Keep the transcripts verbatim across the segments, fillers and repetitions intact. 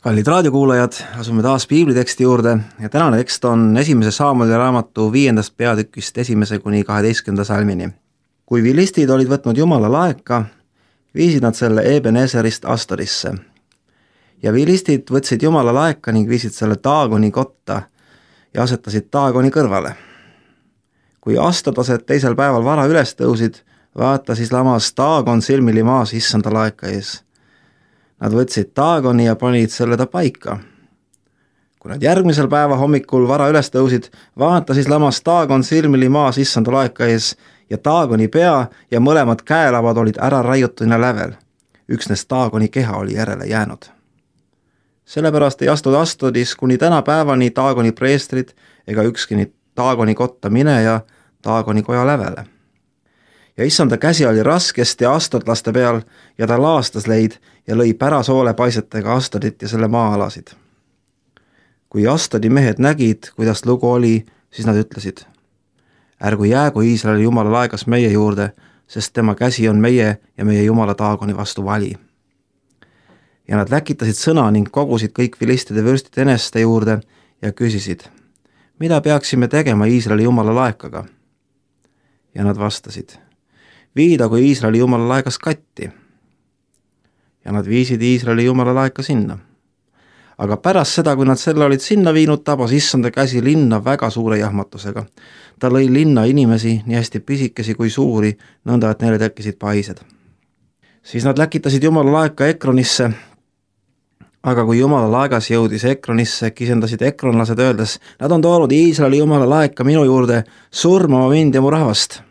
Kallid raadiokuulajad, asume taas piibliteksti juurde ja tänane tekst on esimese Saamueli raamatu viiendast peatükist esimese kuni kaheteistkümnenda salmini. Kui vilistid olid võtnud Jumala laeka, viisid nad selle Ebenezerist Astorisse. Ja vilistid võtsid Jumala laeka ning viisid selle Daagoni kotta ja asetasid Daagoni kõrvale. Kui astodlased teisel päeval vara üles tõusid, vaata siis lamas Daagon silmili maas issanda laeka ees. Nad võtsid Daagoni ja panid selle ta paika. Kui nad järgmisel päeva hommikul vara üles tõusid, vaata siis lamas Daagon silmili maas issanda laeka ees ja Daagoni pea ja mõlemad käelavad olid ära raiutuna lävel. Üksnes Daagoni keha oli järele jäänud. Sellepärast ei astud Astodis kuni täna päevani Daagoni preestrid ega ükski Daagoni kotta mineja Daagoni koja lävele. Ja issanda käsi oli raskesti astodlaste peal ja ta laastas leid ja lõi pärasoole paisetega Astodit ja selle maa-alasid. Kui Astodi mehed nägid, kuidas lugu oli, siis nad ütlesid: ärgu jäägu Iisraeli Jumala laegas meie juurde, sest tema käsi on meie ja meie Jumala Daagoni vastu vali. Ja nad läkitasid sõna ning kogusid kõik vilistide vürstid eneste juurde ja küsisid: mida peaksime tegema Iisraeli Jumala laekaga? Ja nad vastasid: viidagu Iisraeli Jumala laegas katti. Ja nad viisid Iisraeli Jumala laeka sinna. Aga pärast seda, kui nad selle olid sinna viinud, tabas issanda käsi linna väga suure jahmatusega. Ta lõi linna inimesi, nii hästi pisikesi kui suuri, nõnda, et neile tekkisid paised. Siis nad läkitasid Jumala laeka Ekronisse, aga kui Jumala laegas jõudis Ekronisse, kisendasid ekronlased öeldes: nad on toonud Iisraeli Jumala laeka minu juurde surmama mind ja mu rahvast.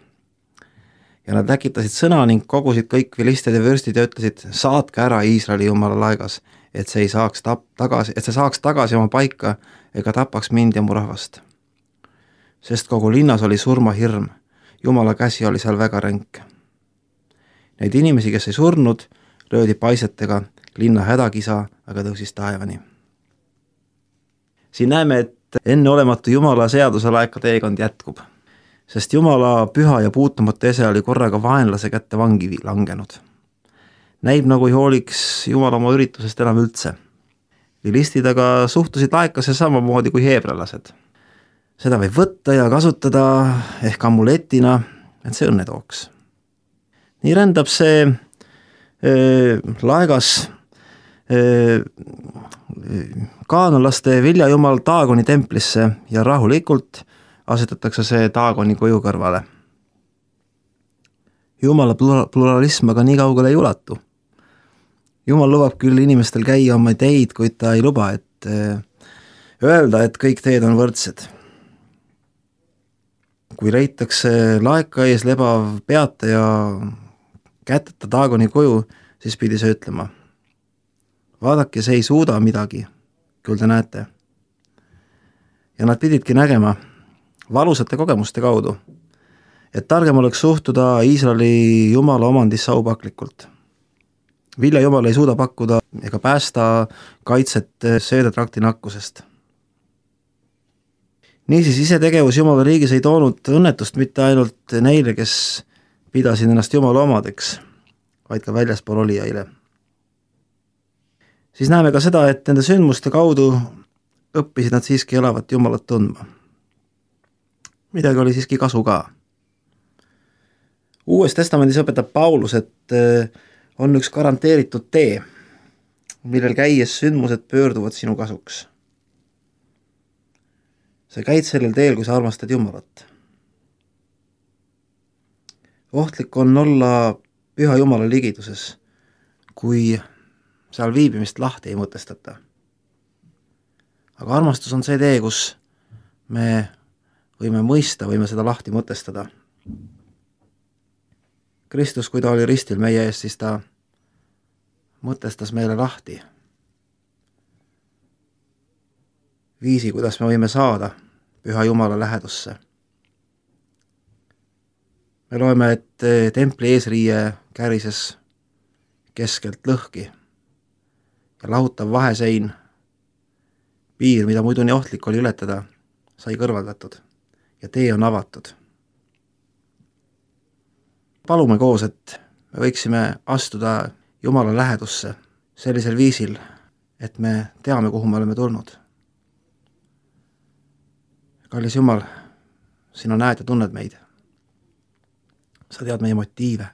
Ja nad läkitasid sõna ning kogusid kõik vilistid ja vürstid ja ütlesid: saatke ära Iisraeli Jumala laegas, et see, ei saaks tap- tagasi, et see saaks tagasi oma paika ega tapaks mind ja mu rahvast. Sest kogu linnas oli surmahirm, Jumala käsi oli seal väga ränk. Neid inimesi, kes ei surnud, löödi paisetega, linna hädakisa aga tõusis taevani. Siin näeme, et enneolematu Jumala seaduse laeka teekond jätkub, sest Jumala püha ja puutumatu ese oli korraga vaenlase kätte vangi langenud. Näib nagu ei hooliks Jumal oma üritusest enam üldse. Vilistid aga suhtusid laekasse samamoodi kui heebrelased. Seda võib võtta ja kasutada ehk amuletina, et see õnne tooks. Nii rändab see öö, laegas öö, kaanalaste viljajumal Daagoni templisse ja rahulikult asetatakse see Daagoni koju kõrvale. Jumala pluralism aga nii kaugele ei ulatu. Jumal lubab küll inimestel käia oma teid, kuid ta ei luba, et öelda, et kõik teed on võrdsed. Kui leitakse laeka ees lebav peata ja käteta Daagoni koju, siis pidi see ütlema: vaadake, see ei suuda midagi, küll te näete. Ja nad pididki nägema valusate kogemuste kaudu, et targem oleks suhtuda Iisraeli Jumala omandisse aupaklikult. Vilja Jumal ei suuda pakkuda ega päästa kaitset söödetrakti nakkusest. Niisiis ise tegevus Jumala riigis ei toonud õnnetust mitte ainult neile, kes pidasid ennast Jumala omadeks, vaid ka väljaspool olijaile. Siis näeme ka seda, et nende sündmuste kaudu õppisid nad siiski elavat Jumalat tundma. Midagi oli siiski kasu ka. Uues testamendis õpetab Paulus, et on üks garanteeritud tee, millel käies sündmused pöörduvad sinu kasuks. Sa käid sellel teel, kui sa armastad Jumalat. Ohtlik on olla püha Jumala ligiduses, kui seal viibimist lahti ei mõtestata. Aga armastus on see tee, kus me võime mõista, võime seda lahti mõtestada. Kristus, kui ta oli ristil meie ees, siis ta mõtestas meile lahti viisi, kuidas me võime saada püha Jumala lähedusse. Me loeme, et templi eesriie kärises keskelt lõhki ja lahutav vahesein, piir, mida muidu nii ohtlik oli ületada, sai kõrvaldatud ja tee on avatud. Palume koos, et me võiksime astuda Jumala lähedusse sellisel viisil, et me teame, kuhu me oleme tulnud. Kallis Jumal, sina näed ja tunned meid. Sa tead meie motiive.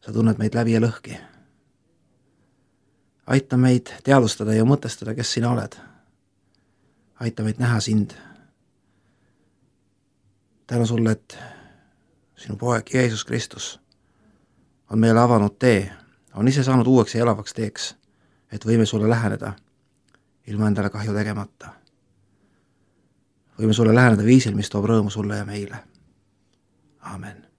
Sa tunned meid läbi ja lõhki. Aita meid teadvustada ja mõtestada, kes sina oled. Aita meid näha sind. Tänan sulle, et sinu poeg Jeesus Kristus on meile avanud tee, on ise saanud uueks ja elavaks teeks, et võime sulle läheneda ilma endale kahju tegemata. Võime sulle läheneda viisil, mis toob rõõmu sulle ja meile. Amen.